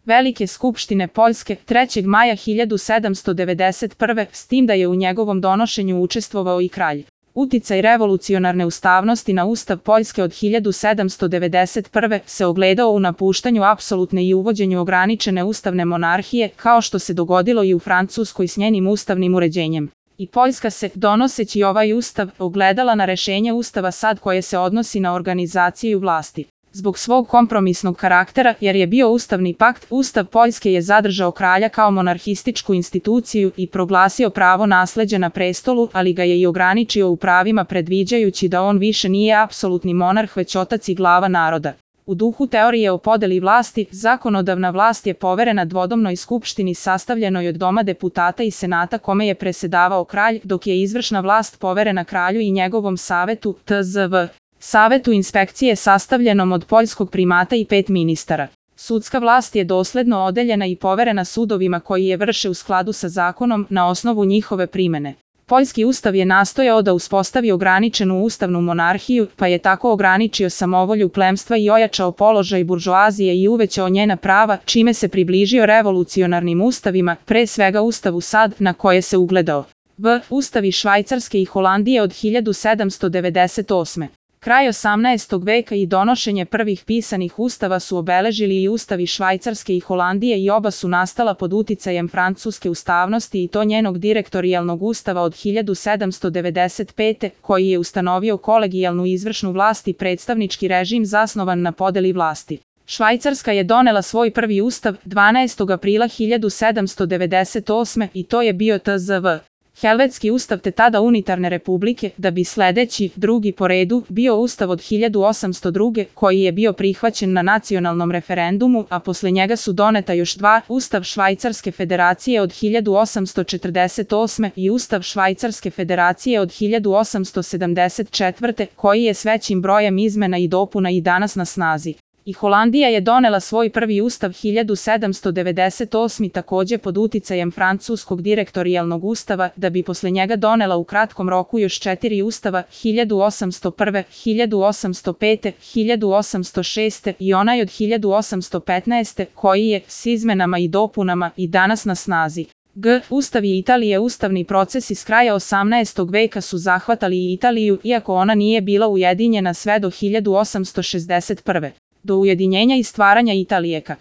Velike skupštine Poljske 3. maja 1791. s tim da je u njegovom donošenju učestvovao i kralj. Uticaj revolucionarne ustavnosti na Ustav Poljske od 1791. se ogledao u napuštanju apsolutne i uvođenju ograničene ustavne monarhije, kao što se dogodilo i u Francuskoj s njenim ustavnim uređenjem. I Poljska se, donoseći ovaj ustav, ogledala na rešenje Ustava SAD koje se odnosi na organizaciju vlasti. Zbog svog kompromisnog karaktera, jer je bio ustavni pakt, Ustav Poljske je zadržao kralja kao monarhističku instituciju i proglasio pravo nasleđa na prestolu, ali ga je i ograničio u pravima predviđajući da on više nije apsolutni monarh već otac i glava naroda. U duhu teorije o podeli vlasti, zakonodavna vlast je poverena dvodomnoj skupštini sastavljenoj od Doma deputata i senata kome je presedavao kralj, dok je izvršna vlast poverena kralju i njegovom savetu, tzv. Savetu inspekcije sastavljenom od poljskog primata i 5 ministara. Sudska vlast je dosledno odeljena i poverena sudovima koji je vrše u skladu sa zakonom na osnovu njihove primene. Poljski ustav je nastojao da uspostavi ograničenu ustavnu monarhiju, pa je tako ograničio samovolju plemstva i ojačao položaj buržoazije i uvećao njena prava, čime se približio revolucionarnim ustavima, pre svega Ustavu SAD, na koje se ugledao. Ustavi Švajcarske i Holandije od 1798. Kraj 18. veka i donošenje prvih pisanih ustava su obeležili i ustavi Švajcarske i Holandije i oba su nastala pod uticajem francuske ustavnosti i to njenog direktorijalnog ustava od 1795. koji je ustanovio kolegijalnu izvršnu vlast i predstavnički režim zasnovan na podeli vlasti. Švajcarska je donela svoj prvi ustav 12. aprila 1798. i to je bio tzv. Helvetski ustav te tada unitarne republike, da bi sledeći, drugi po redu, bio ustav od 1802. koji je bio prihvaćen na nacionalnom referendumu, a posle njega su doneta još dva, Ustav Švajcarske federacije od 1848. i Ustav Švajcarske federacije od 1874. koji je s većim brojem izmena i dopuna i danas na snazi. I Holandija je donela svoj prvi ustav 1798. takođe pod uticajem francuskog direktorijalnog ustava, da bi posle njega donela u kratkom roku još 4 ustava 1801., 1805., 1806. i onaj od 1815. koji je, s izmenama i dopunama, i danas na snazi. Ustavi Italije. Ustavni procesi s kraja 18. veka su zahvatali i Italiju, iako ona nije bila ujedinjena sve do 1861. Do ujedinjenja i stvaranja Italijeka.